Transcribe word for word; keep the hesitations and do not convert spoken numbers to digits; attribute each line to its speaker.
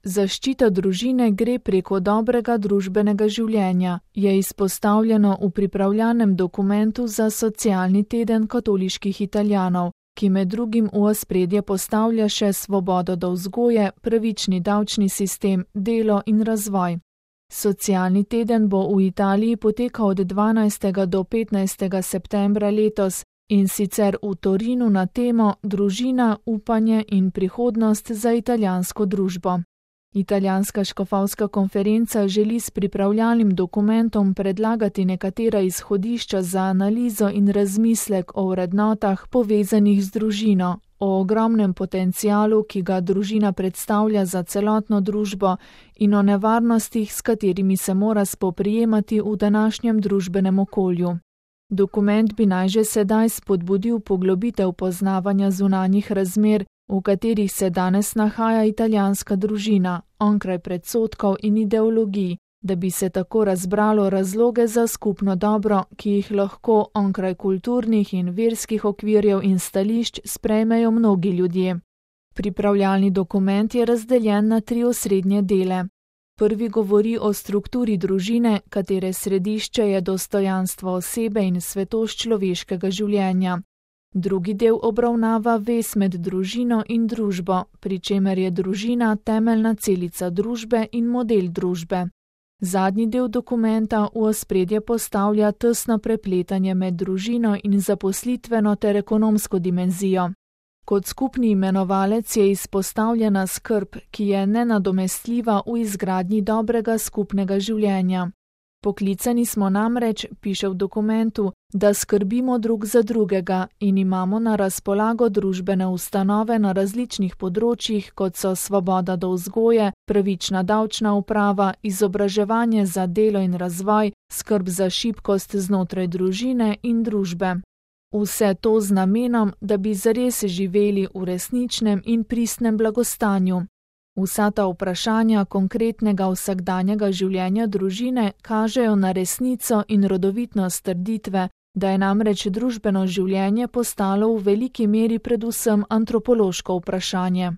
Speaker 1: Zaščita družine gre preko dobrega družbenega življenja, je izpostavljeno v pripravljanem dokumentu za socialni teden katoliških Italijanov, ki med drugim v ospredje postavlja še svobodo do vzgoje, pravični davčni sistem, delo in razvoj. Socialni teden bo v Italiji potekal od dvanajstega do petnajstega septembra letos, in sicer v Torinu na temo Družina, upanje in prihodnost za italijansko družbo. Italijanska škofovska konferenca želi s pripravljalnim dokumentom predlagati nekatera izhodišča za analizo in razmislek o vrednotah povezanih z družino, o ogromnem potencialu, ki ga družina predstavlja za celotno družbo, in o nevarnostih, s katerimi se mora spoprijemati v današnjem družbenem okolju. Dokument bi naj že sedaj spodbudil poglobitev poznavanja zunanjih razmer, v katerih se danes nahaja italijanska družina, onkraj predsodkov in ideologij, da bi se tako razbralo razloge za skupno dobro, ki jih lahko onkraj kulturnih in verskih okvirjev in stališč sprejmejo mnogi ljudje. Pripravljalni dokument je razdeljen na tri osrednje dele. Prvi govori o strukturi družine, katere središče je dostojanstvo osebe in svetost človeškega življenja. Drugi del obravnava vez med družino in družbo, pri čemer je družina temeljna celica družbe in model družbe. Zadnji del dokumenta v ospredje postavlja tesno prepletanje med družino in zaposlitveno ter ekonomsko dimenzijo. Kot skupni imenovalec je izpostavljena skrb, ki je nenadomestljiva v izgradnji dobrega skupnega življenja. Poklicani smo namreč, piše v dokumentu, da skrbimo drug za drugega in imamo na razpolago družbene ustanove na različnih področjih, kot so svoboda do vzgoje, pravična davčna uprava, izobraževanje za delo in razvoj, skrb za šibkost znotraj družine in družbe. Vse to z namenom, da bi zares živeli v resničnem in pristnem blagostanju. Vsa ta vprašanja konkretnega vsakdanjega življenja družine kažejo na resnico in rodovitnost trditve, da je namreč družbeno življenje postalo v veliki meri predvsem antropološko vprašanje.